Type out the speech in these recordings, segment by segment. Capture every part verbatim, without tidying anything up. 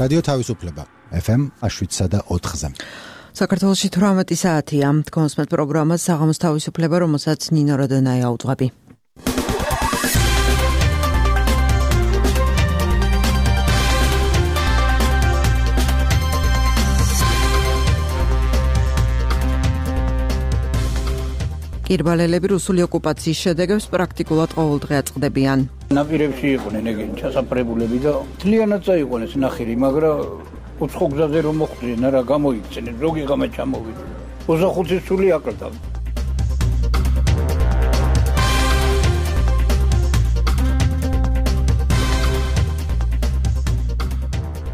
რადიო თავისუფლება ეფ ემ შვიდსა და ოთხზე. საქართველოში თვრამეტი საათია. თქვენს პროგრამას საღამოს თავისუფლება, რომელსაც ნინო როდონაია უძღვები. კირბალელები რუსული ოკუპაციის შედეგებს პრაქტიკულად ყოველდღე აწყდებიან. ნაპირებში იყვნენ ეგენი ჩასაფრებულები და თლიანად წაიყვანეს ნახირი, მაგრამ უცხო გზაზე რომ მოხვდნენ, რა გამოიქცნენ, ზოგი ღამე ჩამოვიდა. ოცდახუთი სული აკლდა.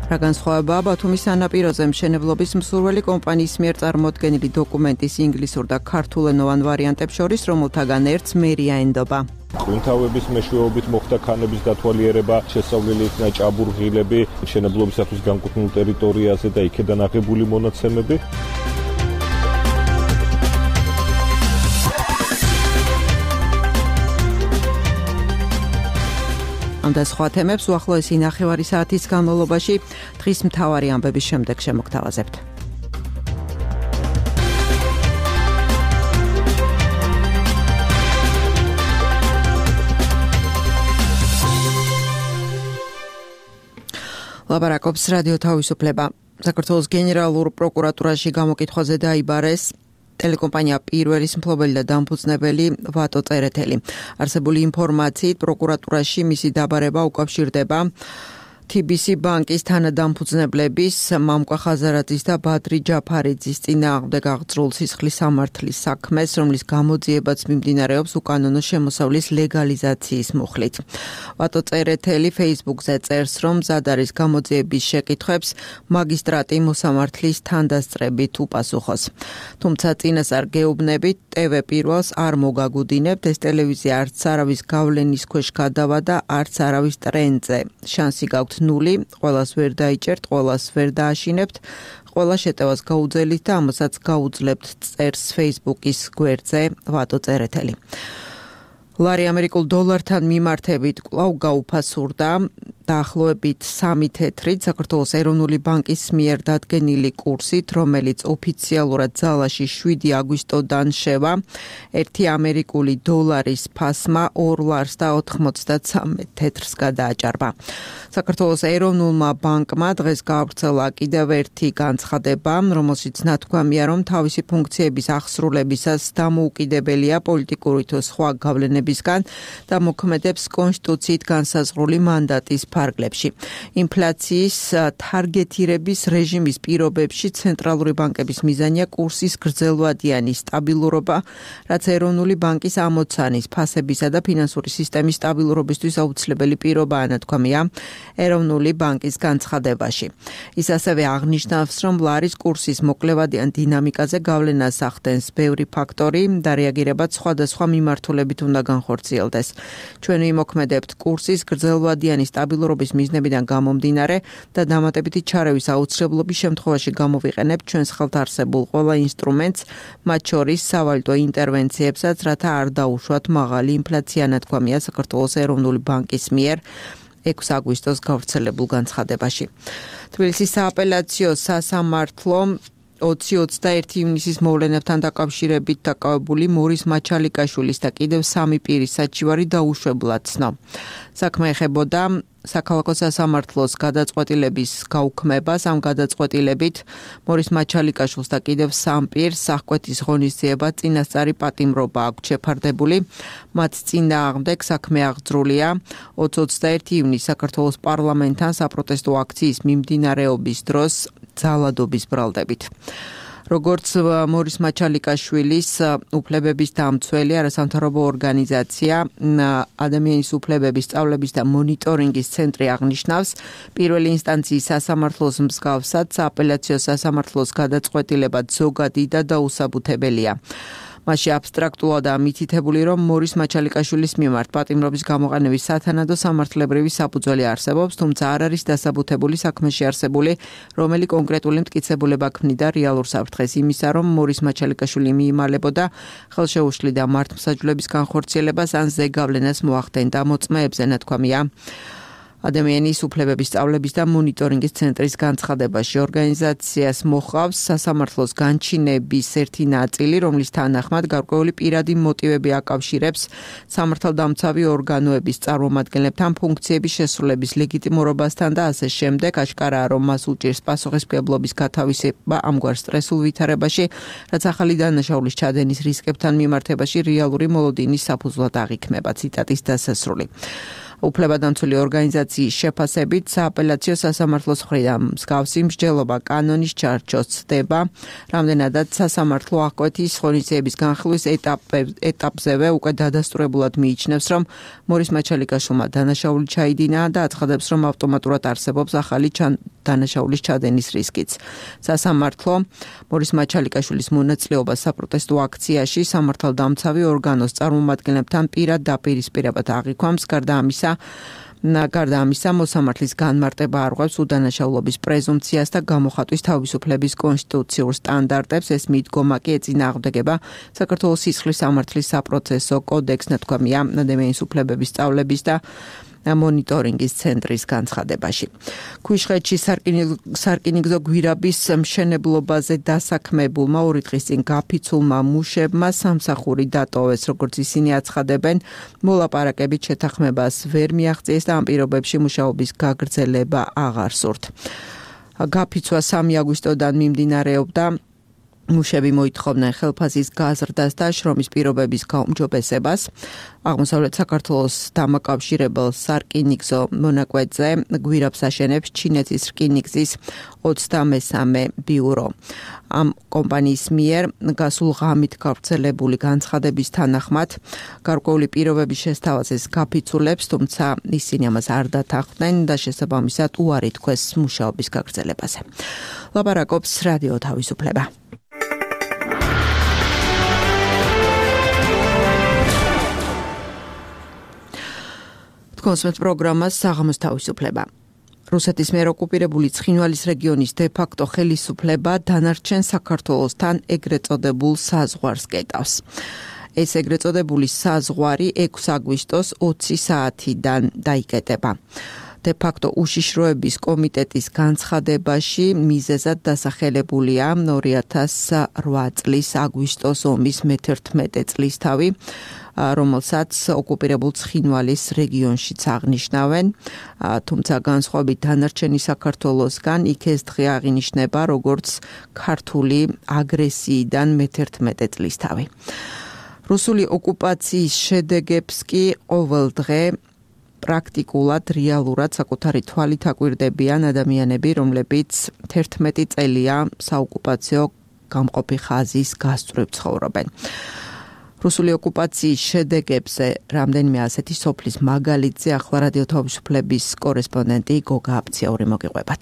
რა განსხვავებაა ბათუმის სანაპიროზე მშენებლობის მსურველი კომპანიის მიერ წარმოდგენილი დოკუმენტის ინგლისურ და ქართულენოვან ვარიანტებს შორის, რომელთაგან ერთს მერია ენდობა. ღვინთავების მეშვეობით მოხდა ქანების დათვალიერება, შესწავლილი იქნა ჭაბურღილები მშენებლობისათვის განკუთვნილ ტერიტორიაზე და იქედან აღებული მონაცემები. ამ და სხვა თემებს უახლოესი ნახევარი საათის განმავლობაში დღის მთავარი ამბების შემდეგ შემოგთავაზებთ. ლაბარაკობს რადიო თავისუფლება. საქართველოს გენერალურ პროკურატურაში გამოკითხვაზე დაიბარეს ტელეკომპანია პირველის მფლობელი და დამფუძნებელი ვატო წერეთელი. არსებული ინფორმაციით პროკურატურაში მისი დაბარება უკავშირდება თი ბი სი ბანკის თანადამფუძნებლების მამკვა ხაზარაძის და ბადრი ჯაფარიძის წინააღმდეგ აღძრულ სისხლის სამართლის საქმეს, რომლის გამოძიებაც მიმდინარეობს უკანონო შემოსავლის ლეგალიზაციის მუხლით. ვატო წერეთელი Facebook-ზე წერს, რომ მზად არის გამოძიების შეკითხვებს მაგისტრატი მოსამართლის თანდასწრებით უპასუხოს. თუმცა წინასწარ გეუბნებით ტე ვე პირველს არ მოგაგუდინებთ, ეს ტელევიზია არც არავის გავლენის ქვეშ გადავა და არც არავის ტრენდზე. შანსი გაქვთ ნული, ყველას ვერ დაიჭერთ, ყველას ვერ დააშინებთ, ყველა შეტევას გაუძელით და ამასაც გაუძლებთ, წერს Facebook-ის გვერდზე ვატო წერეთელი. ლარი ამერიკულ დოლართან მიმართებით კვლავ გაუფასურდა დაახლოებით სამი თეთრით საქართველოს ეროვნული ბანკის მიერ დადგენილი კურსით, რომელიც ოფიციალურად ძალაში შვიდი აგვისტოდან შევა, ერთი ამერიკული დოლარის ფასმა ორ ლარს და ოთხმოცდაცამეტ თეთრს გადააჭარბა. საქართველოს ეროვნულმა ბანკმა დღეს გაავრცელა კიდევ ერთი განცხადება, რომელშიც ნათქვამია, რომ თავისი ფუნქციების აღსრულებისას დამოუკიდებელია პოლიტიკური თუ სხვა გავლენებისგან და მოქმედებს კონსტიტუციით განსაზღვრული მანდატის ფარგლებში. ინფლაციის თარგეტირების რეჟიმის პირობებში ცენტრალური ბანკების მიზანია კურსის გრძელვადიანი სტაბილურობა, რაც ეროვნული ბანკის ამოცანის, ფასებისა და ფინანსური სისტემის სტაბილურობისთვის აუცილებელი პირობაა, ნათქვამია ეროვნული ბანკის განცხადებაში. ის ასევე აღნიშნავს, რომ ლარის კურსის მოკლევადიან დინამიკაზე გავლენას ახდენს ბევრი ფაქტორი და რეაგირებაც სხვადასხვა მიმართულებით უნდა განხორციელდეს. ჩვენ ვიმოქმედებთ კურსის გრძელვადიანი სტაბილურობის მიზნებიდან გამომდინარე და დამატებითი ჩარევის აუცილებლობის შემთხვევაში გამოვიყენებთ ჩვენს ხელთ არსებულ ყველა ინსტრუმენტს, მათ შორის სავალუტო ინტერვენციებსაც, რათა არ დაუშვათ მაღალი ინფლაცია, ნათქვამია საქართველოს ეროვნული ბანკის მიერ ექვსი აგვისტოს გავრცელებულ განცხადებაში. თბილისის სააპელაციო სასამართლო ოცი ოცდაერთი ივნისის მოვლენებთან დაკავშირებით დაკავებული მორის მაჩალიკაშვილის და კიდევ სამი პირის საჩივარი დაუშვებლად ცნო. საქმე ეხებოდა საქალაქო სასამართლოს გადაწყვეტილების გაუქმებას. ამ გადაწყვეტილებით მორის მაჩალიკაშვილს და კიდევ სამ პირს სახკვეთის ღონისძიება წინასწარი პატიმრობა აქვთ შეფარდებული. მათ წინააღმდეგ საქმე აღძრულია ოცი ოცდაერთი ივნისს საქართველოს პარლამენტთან საპროტესტო აქციის მიმდინარეობის დროს ძალადობის ბრალდებით. როგორც მორის მაჩალიკაშვილის უფლებების დამცველი არასამთავრობო ორგანიზაცია ადამიანის უფლებების სწავლების და მონიტორინგის ცენტრი აღნიშნავს, პირველი ინსტანციის სასამართლოს მსგავსად სააპელაციო სასამართლოს გადაწყვეტილება ზოგადი და დაუსაბუთებელია. მასში აბსტრაქტულადაა მითითებული, რომ მორის მაჩალიკაშვილის მიმართ პატიმრობის გამოყენების სათანადო სამართლებრივი საფუძველი არსებობს, თუმცა არ არის დასაბუთებული საქმეში არსებული რომელი კონკრეტული მტკიცებულება ქმნიდა რეალურ საფრთხეს იმისა, რომ მორის მაჩალიკაშვილი მიიმალებოდა ხელშეუშლიდა მართლმსაჯულების განხორციელებას ან ზეგავლენას მოახდენდა მოწმეებზე, ნათქვამია ადამიანის უფლებების სწავლების და მონიტორინგის ცენტრის განცხადებაში ორგანიზაციას მოჰყავს სასამართლოს განჩინების ერთი ნაწილი, რომლის თანახმად გარკვეული პირადი მოტივები აკავშირებს სამართალდამცავი ორგანოების წარმომადგენლებთან ფუნქციების შესრულების ლეგიტიმურობასთან და ასე შემდეგ. აშკარაა, რომ მას უჭირს პასუხისმგებლობის გათავისება ამგვარ სტრესულ ვითარებაში, რაც ახალი დანაშაულის ჩადენის რისკებთან მიმართებაში რეალური მოლოდინის საფუძვლად აღიქმება. ციტატის დასასრული. უფლებადამცველი ორგანიზაციის შეფასებით სააპელაციო სასამართლოს მხრიდან მსგავსი მსჯელობა კანონის ჩარჩოს ცდება, რამდენადაც სასამართლო აღკვეთის ღონისძიების განხილვის ეტაპზევე უკვე დადასტურებულად მიიჩნევს, რომ მორის მაჩალიკაშვილმა დანაშაული ჩაიდინა და აცხადებს, რომ ავტომატურად არსებობს ახალი დანაშაულის ჩადენის რისკიც. სასამართლო მორის მაჩალიკაშვილის მონაწილეობას საპროტესტო აქციაში სამართალდამცავი ორგანოს წარმომადგენლებთან პირად დაპირისპირებად აღიქვამს. გარდა ამისა გარდა ამისა, მოსამართლის განმარტება არღვევს უდანაშაულობის პრეზუმპციას და გამოხატვის თავისუფლების კონსტიტუციურ სტანდარტებს. ეს მიდგომა კი ეწინააღმდეგება საქართველოს სისხლის სამართლის საპროცესო კოდექსს, ნათქვამია ადამიანის უფლებების სწავლების და მონიტორინგის ცენტრის განცხადებაში. ქვიშხეთში სარკინიგზო გვირაბის მშენებლობაზე დასაქმებულმა ორი დღის წინ გაფიცულმა მუშებმა სამსახური დატოვეს, როგორც ისინი აცხადებენ, მოლაპარაკებით შეთანხმებას ვერ მიაღწიეს და ამ პირობებში მუშაობის გაგრძელება აღარ სურთ. გაფიცვა სამი აგვისტოდან მიმდინარეობდა. მუშები მოითხოვდნენ ხელფასის გაზრდას და შრომის პირობების გაუმჯობესებას. აღმოსავლეთ საქართველოს დამაკავშირებელ სარკინიგზო მონაკვეთზე გვირაბს აშენებს ჩინეთის რკინიგზის ოცდამესამე ბიურო. ამ კომპანიის მიერ გასულ ღამით გავრცელებული განცხადების თანახმად გარკვეული პირობების შესთავაზეს გაფიცულებს, თუმცა ისინი ამას არ დათანხმდნენ და შესაბამისად უარი თქვეს მუშაობის გაგრძელებაზე. ლაპარაკობს რადიო თავისუფლება. კონსმეთ პროგრამას საღამოს თავისუფლება. რუსეთის მიერ ოკუპირებული ცხინვალის რეგიონის დე-ფაქტო ხელისუფლება დანარჩენ საქართველოსთან ეგრეთ წოდებულ საზღვარს კეტავს. ეს ეგრეთ წოდებული საზღვარი ექვსი აგვისტოს ოცი საათიდან დაიკეტება. დე-ფაქტო უშიშროების კომიტეტის განცხადებაში მიზეზად დასახელებულია ორი ათას ორი წლის აგვისტოს ომის მეთერთმეტე წლისთავი, რომელსაც ოკუპირებულ ცხინვალის რეგიონშიც აღნიშნავენ, თუმცა განსხვავებით დანარჩენი საქართველოსგან იქ ეს დღე აღინიშნება როგორც ქართული აგრესიიდან მეთერთმეტე წლისთავი. რუსული ოკუპაციის შედეგებს კი ყოველ დღე პრაქტიკულად რეალურად საკუთარი თვალით აკვირდებიან ადამიანები, რომლებიც თერთმეტი წელია საოკუპაციო გამყოფი ხაზის გასწვრივ ცხოვრობენ. რუსული ოკუპაციის შედეგებზე რამდენიმე ასეთი სოფლის მაგალითზე ახლა რადიო თავისუფლების კორესპონდენტი გოგა აფციაური მოგიყვებათ.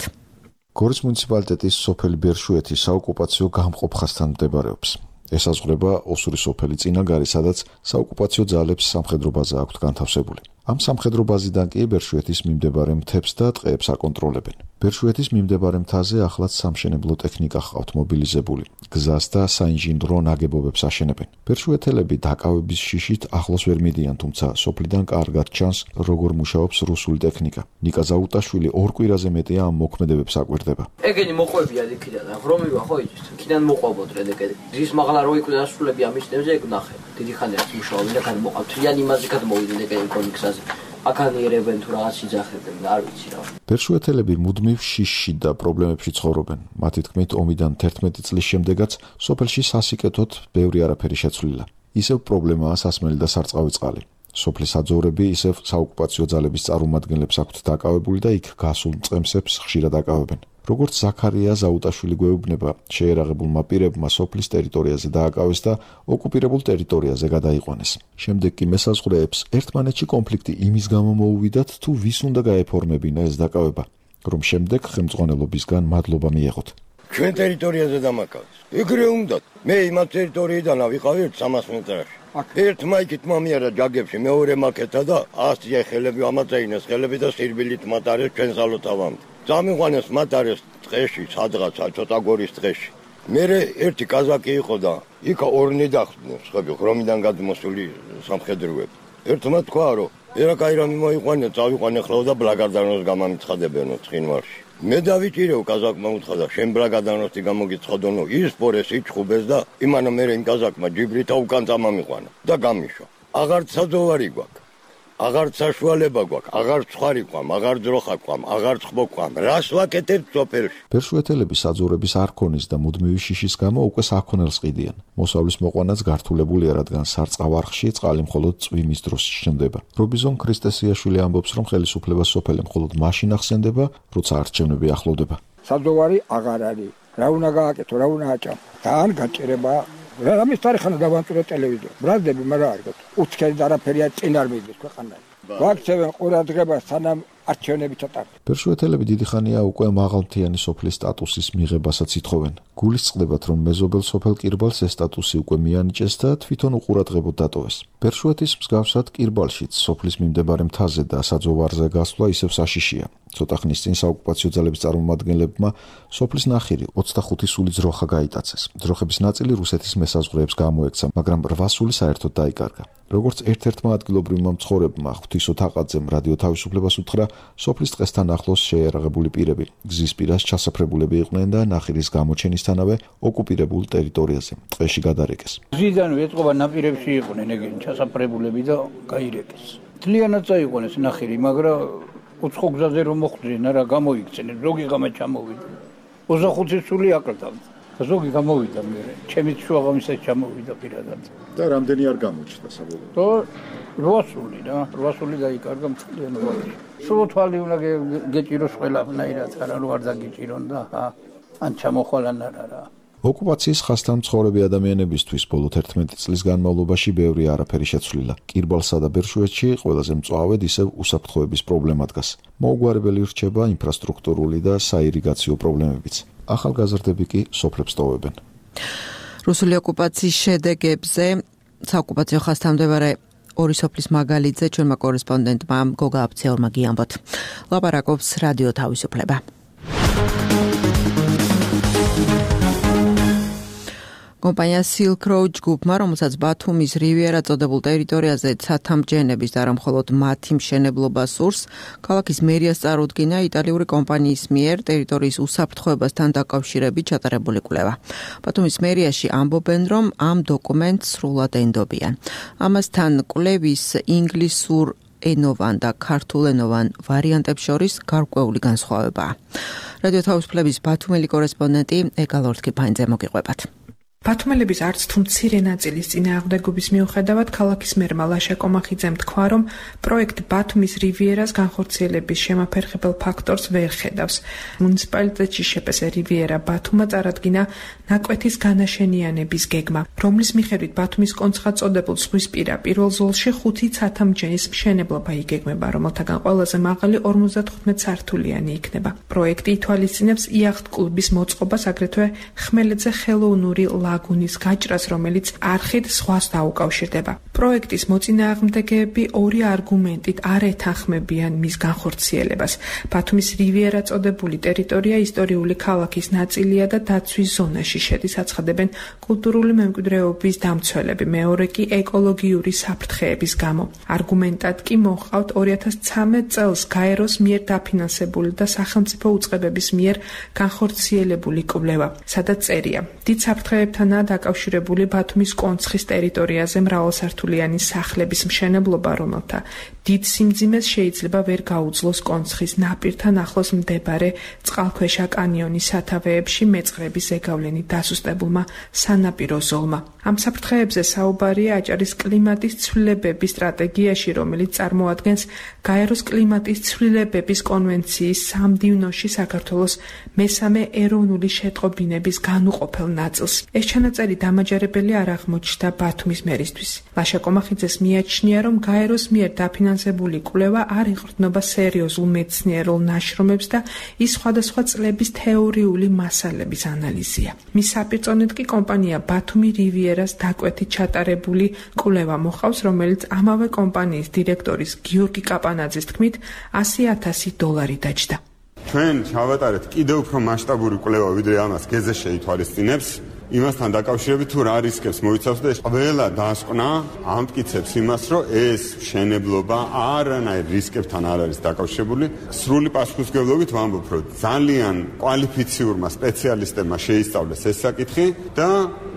გორის მუნიციპალიტეტის სოფელი ბერშუეთი საოკუპაციო გამყოფ ხაზთან მდებარეობს. ესაზღვრება ოსური სოფელი წინაგარი, სადაც საოკუპაციო ძალებს სამხედრო ბაზა აქვთ განთავსებული. ამ სამხედრო ბაზიდან კი ბერშუეთის მიმდებარე მთებს და ტყეებს აკონტროლებენ. ბერშუეთის მიმდებარე მთაზე ახლაც სამშენებლო ტექნიკა ჰყავთ მობილიზებული. გზას და საინჟინრო ნაგებობებს აშენებენ. ბერშუეთელები დაკავების შიშით ახლოს ვერ მიდიან, თუმცა სოფლიდან კარგად ჩანს, როგორ მუშაობს რუსული ტექნიკა. ნიკა ზაუტაშვილი ორ კვირაზე მეტია ამ მოქმედებებს აკვირდება. ეგენი მოყვებია იქიდან, ღრომივა ხო იცით? იქიდან მოყვებოდ რედეკედი. ძის მაღლა რო იკვდა ასრულები ამისნებზე ეგ ნახე. დიდი ხანია მუშაობენ და გადმოყავთ. რიანი იმაზე გადმოვიდნენ ეგენი კონიქსაზე. აკანიერებენ თუ რაღაც იძახებენ, არ ვიცი რა. ბერშუეთელები მუდმივ შიშში და პრობლემებში ცხოვრობენ. მათი თქმით, ომიდან თერთმეტი წლის შემდეგაც სოფელში სასიკეთოდ ბევრი არაფერი შეცვლილა. ისევ პრობლემაა სასმელი და სარწყავი წყალი. სოფლის აძოვრები ისევ საოკუპაციო ძალების წარმომადგენლებს აქვთ დაკავებული და იქ გასულ მწყემსებს ხშირად აკავებენ. როგორც ზაქარია ზაუტაშვილი გვეუბნება, შეერაღებულმა პირებმა სოფლის ტერიტორიაზე დააკავეს და ოკუპირებულ ტერიტორიაზე გადაიყვანეს. შემდეგ კი მესაზღვრეებს ერთმანეთში კონფლიქტი იმის გამო მოუვიდათ, თუ ვის უნდა გაეფორმებინა ეს დაკავება, რომ შემდეგ ხელმძღვანელობისგან მადლობა მიეღოთ. ჩვენ ტერიტორიაზე დამაკავეს. ეგრე უნდათ. მე იმათ ტერიტორიიდან ავიყავი სამას მეტრში. ერთ მაიკით მომიარა ჯაგებში, მეორე მაკეთა და ასია ხელები ამაწეინეს ხელები და სირბილით მატარეს ჩვენ სალოთავამდე. წამიყვანეს მატარეს ტყეში, სადღაცა ცოტა გორის ტყეში. მერე ერთი კაზაკი იყო და იქა ორნი დახდნენ, ხები, ღრომიდან გადმოსული სამხედროები. ერთმა თქვა რომ ერა კაი რამე მოიყვანე, წავიყვანე ხლავ და ბლაგარდანოს გამამიცხადებენო ცხინვალში. მე დავიჭირეო კაზაკმა უთხრა და შენ ბლაგარდანოსი გამოგიცხადონო ის პორეს იჩხუბეს და იმანა მე იმ კაზაკმა ჯიბრითა უკან წამამიყვანა და გამიშვა. აღარც საძოვარი გვაქვს. აღარც საშუალება გვაქვს, აღარც ცხარი ყავ, აღარც ძროხა ყავ, აღარც ხბო ყავ. რას ვაკეთებთ სოფელში? ბერშუეთელები საძოვრების არ ქონის და მუდმივი შიშის გამო უკვე საქონელს ყიდიან. მოსავლის მოყვანაც გართულებულია, რადგან სარწყავ-არხში წყალი მხოლოდ წვიმის დროს ჩნდება. რობიზონ ქრისტესიაშვილი ამბობს, რომ ხელისუფლება სოფელი მხოლოდ მაშინ ახსენდება, როცა არჩევნები ახლოვდება. საძოვარი აღარ არის. რა უნდა გააკეთო, რა უნდა აჭამ? თან გაჭირება რა ამის თარიღანა დავანწურე ტელევიზორ. ბრაზდები მაგრამ არ გქონდა. უცხერი და არაფერია წინ არ მიდის ქვეყანაში. ვაქცევენ ყურადღებას სანამ არჩევნები ჩატარდა. ბერშუეთელები დიდი ხანია უკვე მაღალმთიანი სოფლის სტატუსის მიღებასაც ითხოვენ. გულისწყდებათ, რომ მეზობელ სოფელ კირბალს ეს სტატუსი უკვე მიანიჭეს და თვითონ უყურადღებოდ დატოვეს. ბერშუეთის მსგავსად კირბალშიც სოფლის მიმდებარე მთაზე და საძოვარზე გასვლა ისევ საშიშია. ცოტა ხნის წინ საოკუპაციო ძალების წარმომადგენლებმა სოფლის ნახირი ოცდახუთი სული ძროხა გაიტაცეს. ძროხების ნაწილი რუსეთის მესაზღვრეებს გამოექცა, მაგრამ რვა სული საერთოდ დაიკარგა. როგორც ერთ-ერთმა ადგილობრივმა მცხოვრებმა ღვთისო თაყაძემ რადიო თავისუფლებას უთხრა, სოფლის ტყესთან ახლოს შეიარაღებული პირები გზის პირას ჩასაფრებულები იყვნენ და ნახირის გამოჩენისთანავე ოკუპირებულ ტერიტორიაზე ტყეში გადარეკეს. გზიდანვე ეწყობა ნაპირებში იყვნენ ეგენი ჩასაფრებულები და გაირეკეს. თლიანად წაიყვანეს ნახირი, მაგრამ უცხო გზაზე რომ მოხვდნენ, რა გამოიქცნენ, ზოგი ღამე ჩამოვიდა. ოცდახუთი სული აკლდა. ზოგი გამოვიდა მე. ჩემი შუაღამისად ჩამოვიდა პირადად. და რამდენი არ გამოჩნდა საბოლოოდ? და რვა სული რა, რვა სული დაიკარგა მთლიანობაში. სულ თვალი უნდა გეჭიროს ყველაფერად, არა რომ არ დაგიჭირონ და ან ჩამოხვალან არა რა. ოკუპაციის ხასთან მცხოვრები ადამიანებისთვის ბოლო თერთმეტი წლის განმავლობაში ბევრი არაფერი შეცვლილა. კირბალსა და ბერშუეთში ყველაზე მწვავედ ისევ უსაფრთხოების პრობლემა დგას. მოუგვარებელი რჩება ინფრასტრუქტურული და საირიგაციო პრობლემებიც. ახალგაზრდები კი სოფლებს ტოვებენ. რუსული ოკუპაციის შედეგებზე საოკუპაციო ხასთან მდებარე ორი სოფლის მაგალითზე ჩვენმა კორესპონდენტმა გოგა აფცეორმა გიამბოთ. ლაპარაკობს რადიო თავისუფლება. კომპანია Silk Road ჯგუფმა, რომელსაც ბათუმის რივიერა წოდებულ ტერიტორიაზე ცათამბჯენების და არა მხოლოდ მათი მშენებლობა სურს, ქალაქის მერიას წარუდგინა იტალიური კომპანიის მიერ ტერიტორიის უსაფრთხოებასთან დაკავშირებით ჩატარებული კვლევა. ბათუმის მერიაში ამბობენ, რომ ამ დოკუმენტს სრულად ენდობიან. ამასთან კვლევის ინგლისურ ენოვან და ქართულენოვან ვარიანტებს შორის გარკვეული განსხვავებაა. რადიო თავისუფლების ბათუმელი კორესპონდენტი ეკალორთკი ფაინძე მოგიყვებათ. ბათუმელების არც თუ მცირე ნაწილის წინააღმდეგობის მიუხედავად ქალაქის მერმა ლაშა კომახიძემ თქვა, რომ პროექტ ბათუმის რივიერას განხორციელების შემაფერხებელ ფაქტორს ვერ ხედავს. მუნიციპალიტეტში შეპესე რივიერა ბათუმა წარადგინა ნაკვეთის განაშენიანების გეგმა, რომლის მიხედვით ბათუმის კონცხად წოდებულ ზღვისპირა პირველ ზოლში ხუთი ცათამბჯენის მშენებლობა იგეგმება, რომელთაგან ყველაზე მაღალი ორმოცდათხუთმეტ სართულიანი იქნება. პროექტი ითვალისწინებს იახტ კლუბის მოწყობას, აგრეთვე ხმელეთზე ხელოვნური ლაგუნის გაჭრას, რომელიც არხით ზღვას დაუკავშირდება. პროექტის მოწინააღმდეგეები ორი არგუმენტით არ ეთანხმებიან მის განხორციელებას. ბათუმის რივიერა წოდებული ტერიტორია ისტორიული ქალაქის ნაწილია და დაცვის ზონაში შედის, აცხადებენ კულტურული მემკვიდრეობის დამცველები, მეორე კი ეკოლოგიური საფრთხეების გამო. არგუმენტად კი მოჰყავთ ორი ათას ცხრამეტ წელს გაეროს მიერ დაფინანსებული და სახელმწიფო უწყებების მიერ განხორციელებული კვლევა, სადაც წერია: დიდ საფრთხეებთანაა დაკავშირებული ბათუმის კონცხის ტერიტორიაზე მრავალსართულიანი სახლების მშენებლობა, რომელთა დიდ სიმძიმეს შეიძლება ვერ გაუძლოს კონცხის ნაპირთან ახლოს მდებარე წყალქვეშა კანიონის სათავეებში მეწყრების ზეგავლენით დასუსტებულმა სანაპირო ზოლმა. ამ საფრთხეებზე საუბარია აჭარის კლიმატის ცვლილებების სტრატეგიაში, რომელიც წარმოადგენს გაეროს კლიმატის ცვლილებების კონვენციის სამდივნოში საქართველოს მესამე ეროვნული შეტყობინების განუყოფელ ნაწილს. ეს ჩანაწერი დამაჯერებელი არ აღმოჩნდა ბათუმის მერისთვის. ლაშა კომახიძეს მიაჩნია, რომ გაეროს მიერ დაფინანსებული კვლევა არ ეყრდნობა სერიოზულ მეცნიერულ ნაშრომებს და ის სხვადასხვა წლების თეორიული მასალების ანალიზია. მის საპირწონედ კი კომპანია ბათუმი რივიერას დაკვეთით ჩატარებული კვლევა მოხავს, რომელიც ამავე კომპანიის დირექტორის გიორგი კაპანაძის თქმით ასი ათასი დოლარი დაჯდა. ჩვენ ჩავატარეთ კიდევ უფრო მასშტაბური კვლევა, ვიდრე ამას გეზე შეითვალისწინებს. იმასთან დაკავშირებით თუ რა რისკებს მოიცავს და ყველა დასკვნა ამტკიცებს იმას, რომ ეს მშენებლობა არანაირ რისკებთან არ არის დაკავშირებული. სრული პასუხისმგებლობით ვამბობ, რომ ძალიან კვალიფიციურმა სპეციალისტებმა შეისწავლეს ეს საკითხი და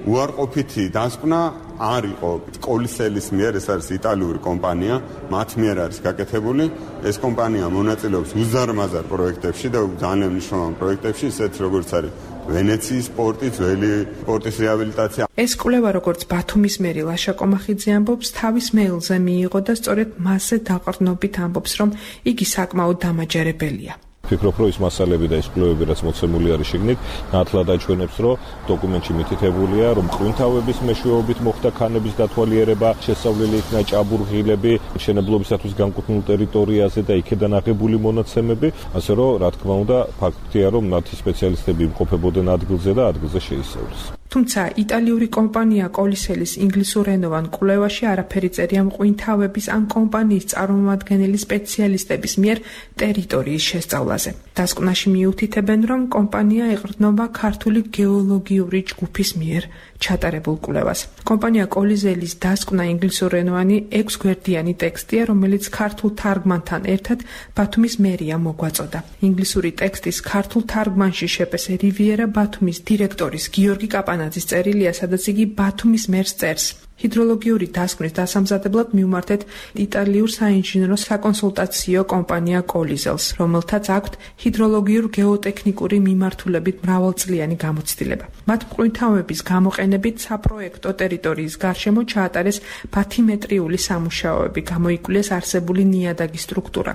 უარყოფითი დასკვნა არ იყო კოლისელის მიერ, ეს არის იტალიური კომპანია, მათ მიერ არის გაკეთებული. ეს კომპანია მონაწილეობს უზარმაზარ პროექტებში და ძალიან მნიშვნელოვან პროექტებში, ისეთ როგორც არის ვენეციის პორტი, ძველი პორტის რეაბილიტაცია. ეს კვლევა, როგორც ბათუმის მერი ლაშა კომახიძე ამბობს, თავის მეილზე მიიღო და სწორედ მასზე დაყრდნობით ამბობს, რომ იგი საკმაოდ დამაჯერებელია. ფიქრობ, რომ ის მასალები და ის კვლევები, რაც მოცემული არის შიგნით, ნათლად აჩვენებს, რომ დოკუმენტში მითითებულია, რომ მყინვარების მეშვეობით მოხდა ქანების დათვალიერება, შესწავლილი იქნა ჭაბურღილები მშენებლობისათვის განკუთვნილ ტერიტორიაზე და იქედან აღებული მონაცემები, ასე რომ, რა თქმა უნდა, ფაქტია, რომ მათი სპეციალისტები იმყოფებოდნენ ადგილზე და ადგილზე შეისწავლეს. თუმცა იტალიური კომპანია კოლისელის ინგლისურენოვან კვლევაში არაფერი წერია მყინვარების ან კომპანიის წარმომადგენელი სპეციალისტების მიერ ტერიტორიის შესწავლაზე. დასკვნაში მიუთითებენ, რომ კომპანია ეყრდნობა ქართული გეოლოგიური ჯგუფის მიერ ჩატარებულ კვლევას. კომპანია კოლისელის დასკვნა ინგლისურენოვანი ექვსგვერდიანი ტექსტია, რომელიც ქართულ თარგმანთან ერთად ბათუმის მერიამ მოგვაწოდა. ინგლისური ტექსტის ქართულ თარგმანში შეპესე რივიერა ბათუმის დირექტორის გიორგი კაპანაძის წერილია, სადაც იგი ბათუმის მერს წერს. ჰიდროლოგიური დასკვნის დასამზადებლად მიუმართეთ იტალიურ საინჟინრო საკონსულტაციო კომპანია კოლიზელს, რომელთაც აქვთ ჰიდროლოგიურ გეოტექნიკური მიმართულებით მრავალწლიანი გამოცდილება. მათ მყინვარების გამოყენებით საპროექტო ტერიტორიის გარშემო ჩაატარეს ბათიმეტრიული სამუშაოები, გამოიკვლიეს არსებული ნიადაგის სტრუქტურა,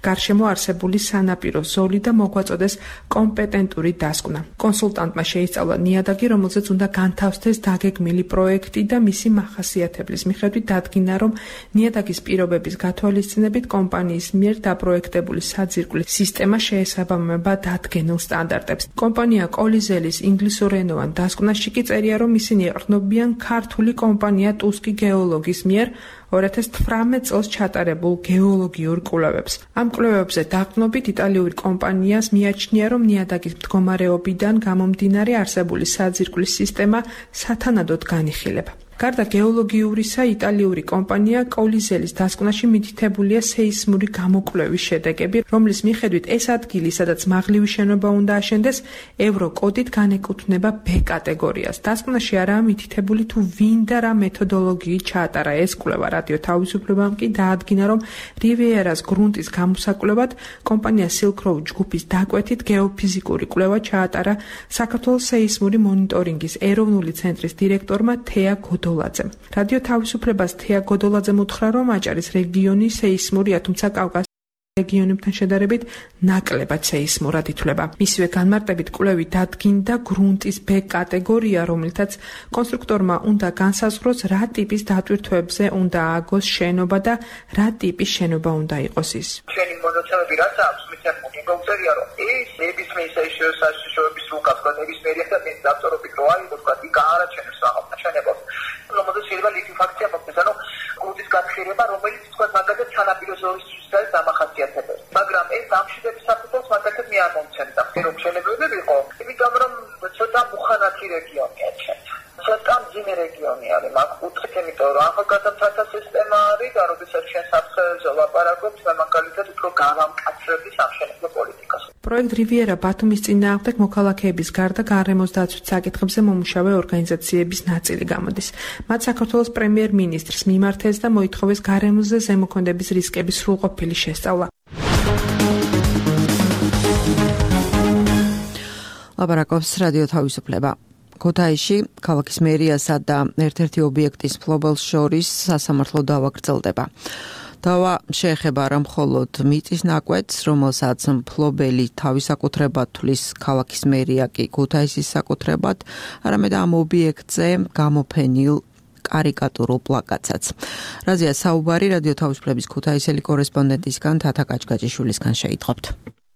გარშემო არსებული სანაპირო ზოლი და მოგვაწოდეს კომპეტენტური დასკვნა. კონსულტანტმა შეისწავლა ნიადაგი, რომელზეც უნდა განთავსდეს დაგეგმილი პროექტი და მისი ახასიათებლის მიხედვით დადგინა, რომ ნიადაგის პირობების გათვალისწინებით კომპანიის მიერ დაპროექტებული საძირკვლის სისტემა შეესაბამება დადგენილ სტანდარტებს. კომპანია კოლიზელის ინგლისურენოვან დასკვნაში კი წერია, რომ ისინი ეყრდნობიან ქართული კომპანია ტუსკი გეოლოგის მიერ ორი ათას თვრამეტ წელს ჩატარებულ გეოლოგიურ კვლევებს. ამ კვლევებზე დაყრდნობით იტალიური კომპანიას მიაჩნია, რომ ნიადაგის მდგომარეობიდან გამომდინარე არსებული საძირკვლის სისტემა სათანადოდ განიხილება. გარდა გეოლოგიურისა, იტალიური კომპანია კოლიზელის დასკვნაში მითითებულია სეისმური გამოკვლევის შედეგები, რომლის მიხედვით ეს ადგილი, სადაც მაღლივი შენობა უნდა აშენდეს, ევროკოდით განეკუთვნება ბ კატეგორიას. დასკვნაში არაა მითითებული თუ ვინ და რა მეთოდოლოგიით ჩაატარა ეს კვლევა. რადიო თავისუფლებამ კი დაადგინა, რომ რივიერას გრუნტის გამოსაკვლევად კომპანია Silk Road ჯგუფის დაკვეთით გეოფიზიკური კვლევა ჩაატარა საქართველოს სეისმური მონიტორინგის ეროვნული ცენტრის დირექტორმა თეა გოდოლაძემ. რადიო თავისუფლებას თეა გოდოლაძემ უთხრა, რომ აჭარის რეგიონი სეისმურია, თუმცა კავკასიის რეგიონებთან შედარებით ნაკლებად სეისმურად ითვლება. მისივე განმარტებით კვლევი დადგინდა გრუნტის ბ კატეგორია, რომელთაც კონსტრუქტორმა უნდა განსაზღვროს, რა ტიპის დატვირთვებზე უნდა ააგოს შენობა და რა ტიპის შენობა უნდა იყოს ის. ჩვენი მონაცემები რაც აქვს, მითხრა მოგწერია, რომ ეს ნებისმიერ საშიშროების უკაც ნებისმიერი და მე დავწერობთ, რომ აი თქვა იქ არაჩენებს რაღაცა შენებას. რომელზეც შეიძლება ლიკვიფაქცია მოხდეს, ანუ გრუნტის გაფრთხილება, რომელიც თქვა მაგალითად სანაპირო ზოლისთვის არის დამახასიათებელი. მაგრამ ეს ამშვიდების საფუძველს მაგალითად მე არ მომცემდა. რომ შენებები იყო, იმიტომ რომ ცოტა მუხანათი რეგიონია ჩვენ. ცოტა მძიმე რეგიონი არის, მაგ კუთხით, იმიტომ რომ ახალგაზრდათა სისტემა არის და როდესაც ჩვენ საფრთხეზე ვლაპარაკობთ, მაგალითად უფრო გავამკაცრების სამშენებლო პოლიტიკას. პროექტ რივიერა ბათუმის წინააღმდეგ მოქალაქეების გარდა გარემოს დაცვის საკითხებზე მომუშავე ორგანიზაციების ნაწილი გამოდის. მათ საქართველოს პრემიერ-მინისტრს მიმართეს და მოითხოვეს გარემოზე ზემოქმედების რისკების სრულყოფილი შესწავლა. ლაპარაკობს რადიო თავისუფლება. ქუთაისში ქალაქის მერიასა და ერთ-ერთი ობიექტის მფლობელს შორის სასამართლო დავა გრძელდება. დავა შეეხება არა მხოლოდ მიწის ნაკვეთს, რომელსაც მფლობელი თავის საკუთრებად თვლის ქალაქის მერია კი ქუთაისის საკუთრებად, არამედ ამ ობიექტზე გამოფენილ კარიკატურულ პლაკატსაც. რაზეა საუბარი რადიო თავისუფლების ქუთაისელი კორესპონდენტისგან თათა კაჭკაჭიშვილისგან შეიტყობთ.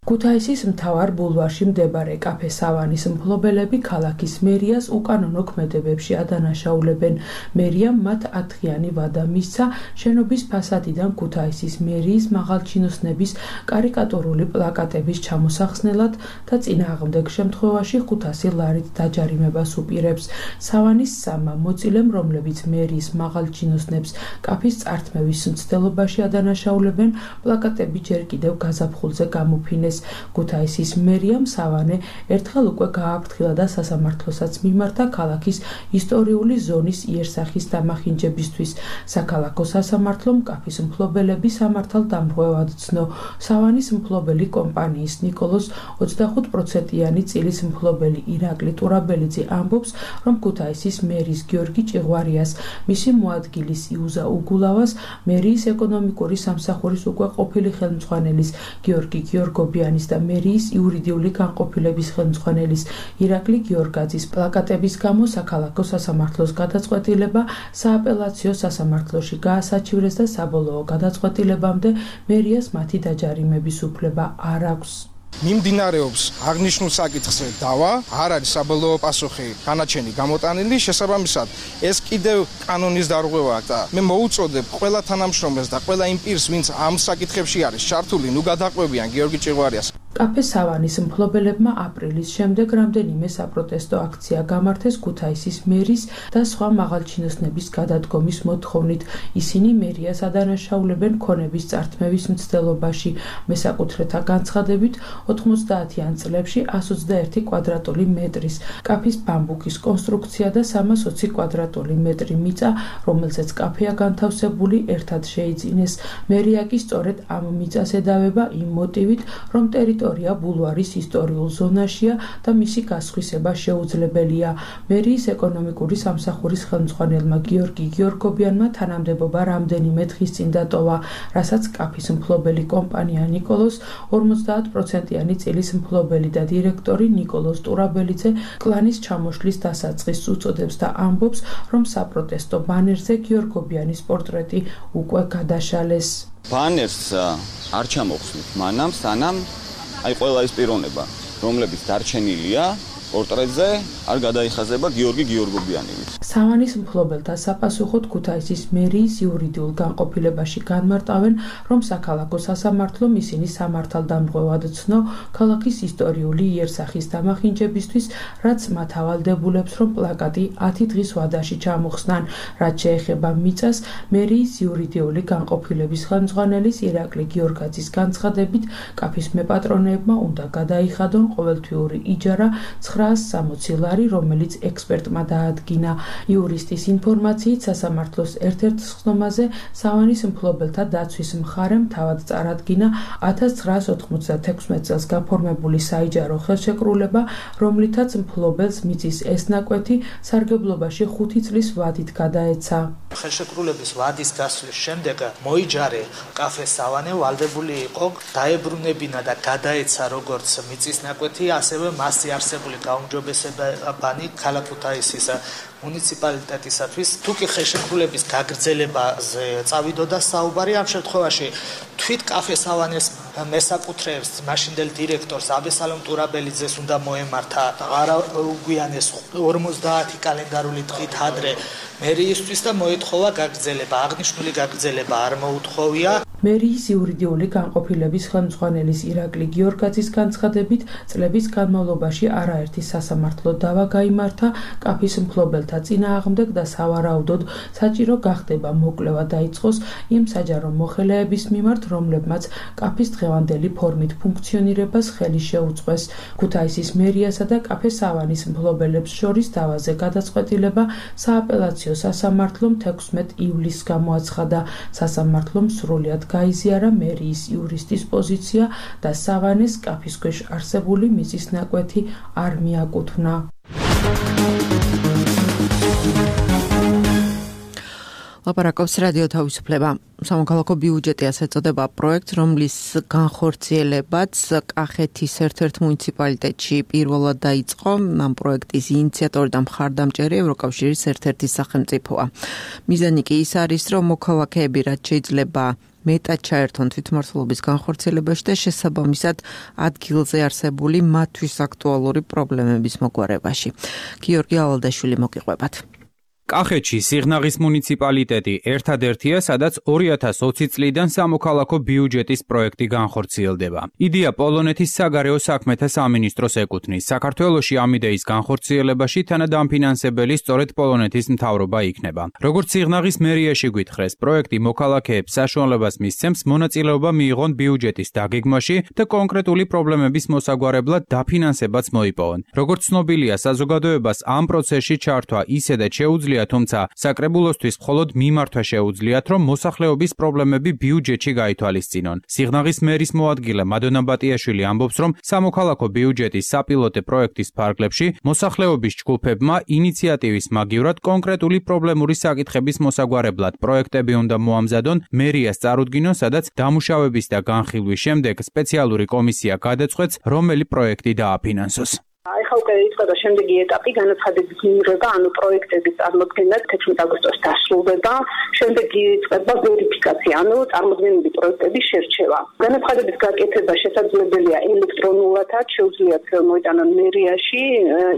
ქუთაისის მთავარ ბულვარში მდებარე კაფე სავანის მფლობელები ქალაქის მერიას უკანონო ქმედებებში ადანაშაულებენ. მერიამ მათ ათღიანი ვადა მისცა შენობის ფასადიდან ქუთაისის მერიის მაღალჩინოსნების კარიკატურული პლაკატების ჩამოსახსნელად და წინააღმდეგ შემთხვევაში ხუთასი ლარით დაჯარიმებას უპირებს. სავანის სამმა მოცილემ, რომლებიც მერიის მაღალჩინოსნებს კაფის წართმევის მცდელობაში ადანაშაულებენ, პლაკატები ჯერ კიდევ გაზაფხულზე გამოფინეს. ქუთაისის მერიამ სავანე ერთხელ უკვე გააფრთხილა და სასამართლოსაც მიმართა ქალაქის ისტორიული ზონის იერსახის დამახინჯებისთვის. საქალაქო სასამართლომ კაფის მფლობელები სამართალ დამრღვევად ცნო. სავანის მფლობელი კომპანიის ნიკოლოს ოცდახუთ პროცენტიანი წილის მფლობელი ირაკლი ტურაბელიძე ამბობს, რომ ქუთაისის მერის გიორგი ჭიღვარიას, მისი მოადგილის იუზა უგულავას, მერიის ეკონომიკური სამსახურის უკვე ყოფილი ხელმძღვანელის გიორგი გიორგობი და მერიის იურიდიული განყოფილების ხელმძღვანელის ირაკლი გიორგაძის პლაკატების გამო საქალაქო სასამართლოს გადაწყვეტილება სააპელაციო სასამართლოში გაასაჩივრეს და საბოლოო გადაწყვეტილებამდე მერიას მათი დაჯარიმების უფლება არ აქვს. მიმდინარეობს აღნიშნულ საკითხზე დავა, არ არის საბოლოო პასუხი განაჩენი გამოტანილი, შესაბამისად ეს კიდევ კანონის დარღვევაა და მე მოუწოდებ ყველა თანამშრომელს და ყველა იმ პირს, ვინც ამ საკითხებში არის ჩართული, ნუ გადაყვებიან გიორგი ჭიღვარიას. კაფე სავანის მფლობელებმა აპრილის შემდეგ რამდენიმე საპროტესტო აქცია გამართეს ქუთაისის მერის და სხვა მაღალჩინოსნების გადადგომის მოთხოვნით. ისინი მერიას ადანაშაულებენ ქონების წართმევის მცდელობაში. მესაკუთრეთა განცხადებით ოთხმოცდაათიან წლებში ასს ოცდაერთი კვადრატული მეტრის კაფის ბამბუკის კონსტრუქცია და სამას ოცი კვადრატული მეტრი მიწა, რომელზეც კაფეა განთავსებული, ერთად შეიძინეს. მერია კი სწორედ ამ მიწას ედავება იმ მოტივით, რომ ტერიტორია ბულვარის ისტორიულ ზონაშია და მისი გასხვისება შეუძლებელია. მერიის ეკონომიკური სამსახურის ხელმძღვანელმა გიორგი გიორგობიანმა თანამდებობა რამდენიმე დღის წინ დატოვა, რასაც კაფის მფლობელი კომპანია ნიკოლოს ორმოცდაათ პროცენტიანი წილის მფლობელი და დირექტორი ნიკოლოს ტურაბელიძე კლანის ჩამოშლის დასაწყისს უწოდებს და ამბობს, რომ საპროტესტო ბანერზე გიორგობიანის პორტრეტი უკვე გადაშალეს. ბანერს არ ჩამოხსნით მანამ, სანამ აი ყველა ის პიროვნება, რომლებიც დარჩენილია პორტრეტზე, არ გადაიხაზება გიორგი გიორგობიანი. სავანის მფლობელთა საფასუხოდ ქუთაისის მერიის იურიდიულ განყოფილებაში განმარტავენ, რომ საქალაქო სასამართლომ ისინი სამართალ დამრღვევად ცნო ქალაქის ისტორიული იერსახის დამახინჯებისთვის, რაც მათ ავალდებულებს, რომ პლაკატი ათი დღის ვადაში ჩამოხსნან. რაც შეეხება მიწას, მერიის იურიდიული განყოფილების ხელმძღვანელის ირაკლი გიორგაძის განცხადებით, კაფის მეპატრონეებმა უნდა გადაიხადონ ყოველთვიური იჯარა ცხრაას სამოცი ლარი, რომელიც ექსპერტმა დაადგინა. იურისტის ინფორმაციით, სასამართლოს ერთ-ერთ სხდომაზე სავანის მფლობელთა დაცვის მხარემ თავად წარადგინა ათას ცხრაას ოთხმოცდათექვსმეტ წელს გაფორმებული საიჯარო ხელშეკრულება, რომლითაც მფლობელს მიწის ეს ნაკვეთი სარგებლობაში ხუთი წლის ვადით გადაეცა. ხელშეკრულების ვადის გასვლის შემდეგ მოიჯარე კაფე სავანე ვალდებული იყო დაებრუნებინა და გადაეცა როგორც მიწის ნაკვეთი, ასევე მასზე არსებული გაუმჯობესებანი ქალაქ ქუთაისის მუნიციპალიტეტისათვის. თუ კი ხელშეკრულების გაგრძელებაზე წავიდოდა საუბარი, ამ შემთხვევაში თვით კაფე სავანეს მესაკუთრეებს მაშინდელ დირექტორს აბესალომ ტურაბელიძეს უნდა მოემართა არაუგვიანეს ორმოცდაათი კალენდარული დღით ადრე მერიისთვის და მოეთხოვა გაგრძელება. აღნიშნული გაგრძელება არ მოუთხოვია. მერიის იურიდიული განყოფილების ხელმძღვანელის ირაკლი გიორგაძის განცხადებით, წლების განმავლობაში არაერთი სასამართლო დავა გაიმართა კაფის მფლობელთა წინააღმდეგ და სავარაუდოდ საჭირო გახდება მოკვლევა დაიწყოს იმ საჯარო მოხელეების მიმართ, რომლებმაც კაფის დღევანდელი ფორმით ფუნქციონირებას ხელი შეუწყეს. ქუთაისის მერიასა და კაფე სავანის მფლობელებს შორის დავაზე გადაწყვეტილება სააპელაციო სასამართლომ თექვსმეტ ივლისს გამოაცხადა. სასამართლომ სრულად გაიზიარა მერიის იურისტის პოზიცია და სავანეს კაფის ქვეშ არსებული მიწის ნაკვეთი არ მიაკუთვნა. ლაპარაკობს რადიო თავისუფლება. სამოქალაქო ბიუჯეტი ასე ეწოდება პროექტს, რომლის განხორციელებაც კახეთის ერთ-ერთ მუნიციპალიტეტში პირველად დაიწყო. ამ პროექტის ინიციატორი და მხარდამჭერი ევროკავშირის ერთ-ერთი სახელმწიფოა. მიზანი კი ის არის, რომ მოქალაქეები რაც შეიძლება მეტად ჩაერთონ თვითმმართველობის განხორციელებაში და შესაბამისად ადგილზე არსებული მათთვის აქტუალური პრობლემების მოგვარებაში. გიორგი ავალდაშვილი მოგიყვებათ. კახეთში სიღნაღის მუნიციპალიტეტი ერთადერთია, სადაც ორი ათას ოცი წლიდან სამოქალაქო ბიუჯეტის პროექტი განხორციელდება. იდეა პოლონეთის საგარეო საქმეთა სამინისტროს ეკუთვნის. საქართველოში ამ იდეის განხორციელებაში თანადამფინანსებელი სწორედ პოლონეთის მთავრობა იქნება. როგორც სიღნაღის მერიაში გვითხრეს, პროექტი მოქალაქეებს საშუალებას მისცემს მონაწილეობა მიიღონ ბიუჯეტის დაგეგმვაში და კონკრეტული პრობლემების მოსაგვარებლად დაფინანსებაც მოიპოვონ. როგორც ცნობილია, საზოგადოებას ამ პროცესში ჩართვა ისედაც შეუძლია, თუმცა საკრებულოსთვის მხოლოდ მიმართვა შეუძლიათ, რომ მოსახლეობის პრობლემები ბიუჯეტში გაითვალისწინონ. სიღნაღის მერის მოადგილე მადონა ბატიაშვილი ამბობს, რომ სამოქალაქო ბიუჯეტის საპილოტე პროექტის ფარგლებში მოსახლეობის ჯგუფებმა ინიციატივის მაგივრად კონკრეტული პრობლემური საკითხების მოსაგვარებლად პროექტები უნდა მოამზადონ, მერიას წარუდგინონ, სადაც დამუშავების და განხილვის შემდეგ სპეციალური კომისია გადაწყვეტს, რომელი პროექტი დააფინანსოს. ახლა უკვე იწყება შემდეგი ეტაპი, განაცხადების მიღება, ანუ პროექტების წარმოქმნა თერთმეტ აგვისტოს დასრულდება, შემდეგ იწყება ვერიფიკაცია, ანუ წარმოქმნილი პროექტების შერჩევა. განაცხადების გაკეთება შესაძლებელია ელექტრონულადაც, შეუძლიათ მოიტანონ მერიაში,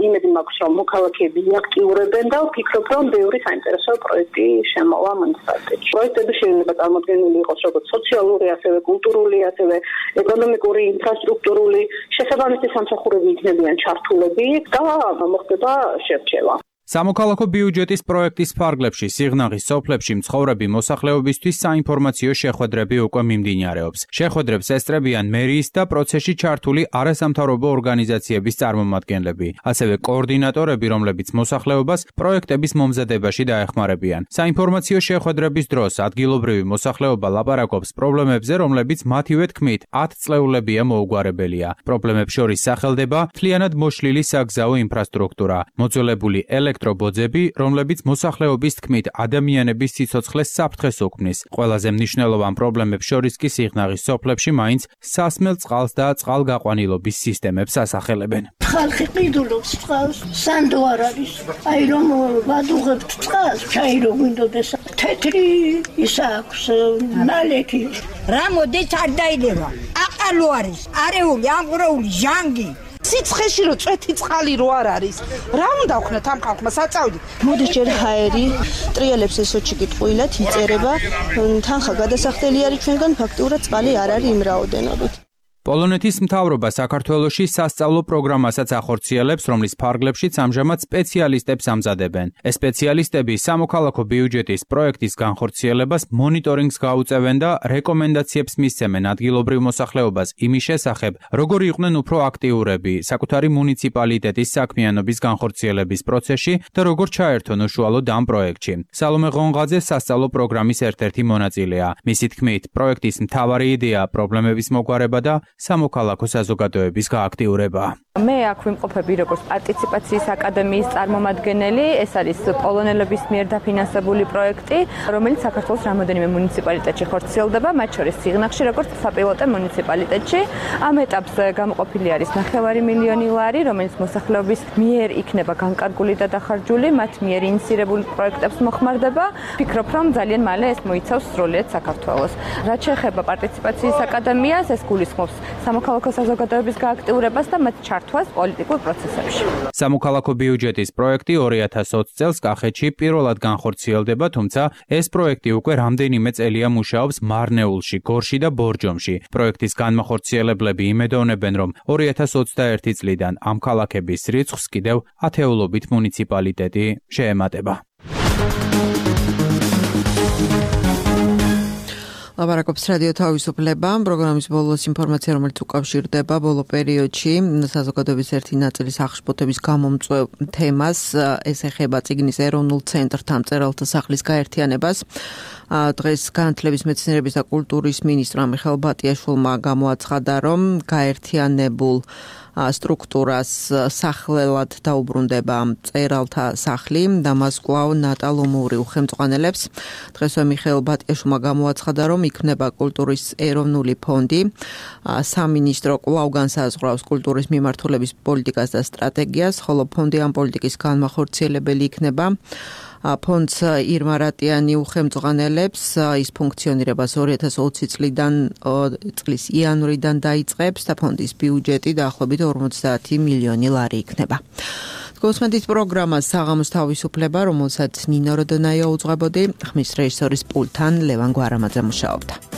იმედი მაქვს, რომ მოქალაქეები აქტიურებენ და ვფიქრობ, რომ ბევრი საინტერესო პროექტი შემოვა მუნიციპალიტეტში. პროექტები შეიძლება წარმოქმნილი იყოს როგორც სოციალური, ასევე კულტურული, ასევე ეკონომიკური, ინფრასტრუქტურული, შესაბამისი სამსახურები იქნებიან ჩართულები და მოხდება შერჩევა. სამოქალაქო ბიუჯეტის პროექტის ფარგლებში სიღნაღის სოფლებში მცხოვრები მოსახლეობისთვის საინფორმაციო შეხვედრები უკვე მიმდინარეობს. შეხვედრებს ესწრებიან მერიის და პროცესში ჩართული არასამთავრობო ორგანიზაციების წარმომადგენლები, ასევე კოორდინატორები, რომლებიც მოსახლეობას პროექტების მომზადებაში დაეხმარებიან. საინფორმაციო შეხვედრების დროს ადგილობრივი მოსახლეობა ლაპარაკობს პრობლემებზე, რომლებიც მათივე თქმით ათწლეულებია მოუგვარებელია. პრობლემებს შორის სახელდება მთლიანად მოშლილი საგზაო ინფრასტრუქტურა, მოძველებული ელექტრობოძები, რომლებიც მოსახლეობის თქმით ადამიანების სიცოცხლეს საფრთხეს უქმნის. ყველაზე მნიშვნელოვან პრობლემებს შორის კი სიღნაღის სოფლებში მაინც სასმელ წყალს და წყალგაყვანილობის სისტემებს ასახელებენ. ხალხი ყიდულობს წყალს, სანდო არ არის. აი რომ ვადუღებთ წყალს, ჩაი რო გვინდოდეს. თეთრი ის აქვს ნალექი. რა მოდის არ დაილევა. აყალო არის, არეული, ამღვრეული, ჟანგი. სიცხეში რო წვეთი წყალი რო არ არის. რა უნდა ვქნათ ამ ხალხმა საწავდით? მოდის ჯერ ჰაერი, ტრიალებს ესოჩი კიტყვილად იწერება, თანხა გადასახდელი არის ჩვენგან, ფაქტიურად წყალი არ არის იმ რაოდენობით. პოლონეთის მთავრობა საქართველოში სასწავლო პროგრამასაც ახორციელებს, რომლის ფარგლებშიც ამჟამად სპეციალისტებს ამზადებენ. ეს სპეციალისტები სამოქალაქო ბიუჯეტის პროექტის განხორციელებას მონიტორინგს გაუწევენ და რეკომენდაციებს მისცემენ ადგილობრივ მოსახლეობას იმის შესახებ, როგორ იყვნენ უფრო აქტიურები საკუთარი მუნიციპალიტეტის საქმიანობის განხორციელების პროცესში და როგორ ჩაერთონ უშუალოდ ამ პროექტში. სალომე ღონღაძე სასწავლო პროგრამის ერთ-ერთი მონაწილეა. მისი თქმით, პროექტის მთავარი იდეა პრობლემების მოგვარება და სამოქალაქო საზოგადოების გააქტიურება. მე აქ ვიმყოფები როგორც პარტიციპაციის აკადემიის წარმომადგენელი, ეს არის პოლონელების მიერ დაფინანსებული პროექტი, რომელიც საქართველოს რამოდენიმე მუნიციპალიტეტში ხორციელდება, მათ შორის სიღნაღში როგორც საპილოტე მუნიციპალიტეტში. ამ ეტაპზე გამოყოფილი არის ნახევარი მილიონი ლარი, რომელიც მოსახლეობის მიერ იქნება განკარგული და დახარჯული, მათ მიერ ინიცირებული პროექტებს მოხმარდება. ვფიქრობ, რომ ძალიან მალე ეს მოიცავს სრულიად საქართველოს. რაც შეეხება პარტიციპაციის აკადემიას, ეს გულისხმობს სამოქალაქო საზოგადოების გააქტიურებას და მათ ჩართვას პოლიტიკურ პროცესებში. სამოქალაქო ბიუჯეტის პროექტი ორი ათას ოცი წელს კახეთში პირველად განხორციელდება, თუმცა ეს პროექტი უკვე რამდენიმე წელია მუშაობს მარნეულში, გორში და ბორჯომში. პროექტის განმახორციელებლები იმედოვნებენ, რომ ორი ათას ოცდაერთი წლიდან ამ ქალაქების რიცხვს კიდევ ათეულობით მუნიციპალიტეტი შეემატება. ლაპარაკობს რადიო თავისუფლება, პროგრამის ბოლოს ინფორმაცია, რომელიც უკავშირდება ბოლო პერიოდში საზოგადოების ერთი ნაწილის აღშფოთების გამომწვევ თემას, ეს ეხება წიგნის ეროვნულ ცენტრთან მწერალთა სახლის გაერთიანებას. დღეს განათლების, მეცნიერების და კულტურის მინისტრმა მიხეილ ბატიაშვილმა გამოაცხადა, რომ გაერთიანებულ სტრუქტურას სახლელად დაუბრუნდება მწერალთა სახლი და მას კვლავ ნატალომური უხელმძღვანელებს. დღესვე მიხეილ ბატიაშვილმა გამოაცხადა, რომ იქმნება კულტურის ეროვნული ფონდი. სამინისტრო კვლავ განსაზღვრავს კულტურის მიმართულების პოლიტიკას და სტრატეგიას, ხოლო ფონდი ამ პოლიტიკის განმახორციელებელი იქნება. ფონდს ირმა რატიანი უხელმძღვანელებს, ის ფუნქციონირებას ორი ათას ოცი წლიდან წლის იანვრიდან დაიწყებს და ფონდის ბიუჯეტი დაახლოებით ორმოცდაათი მილიონი ლარი იქნება. გოსმენთ პროგრამა საღამოს თავისუფლება, რომელსაც ნინო როდონაია უძღვებოდი, ხმის რეჟისორის პულთან ლევან გვარამაძე მუშაობდა.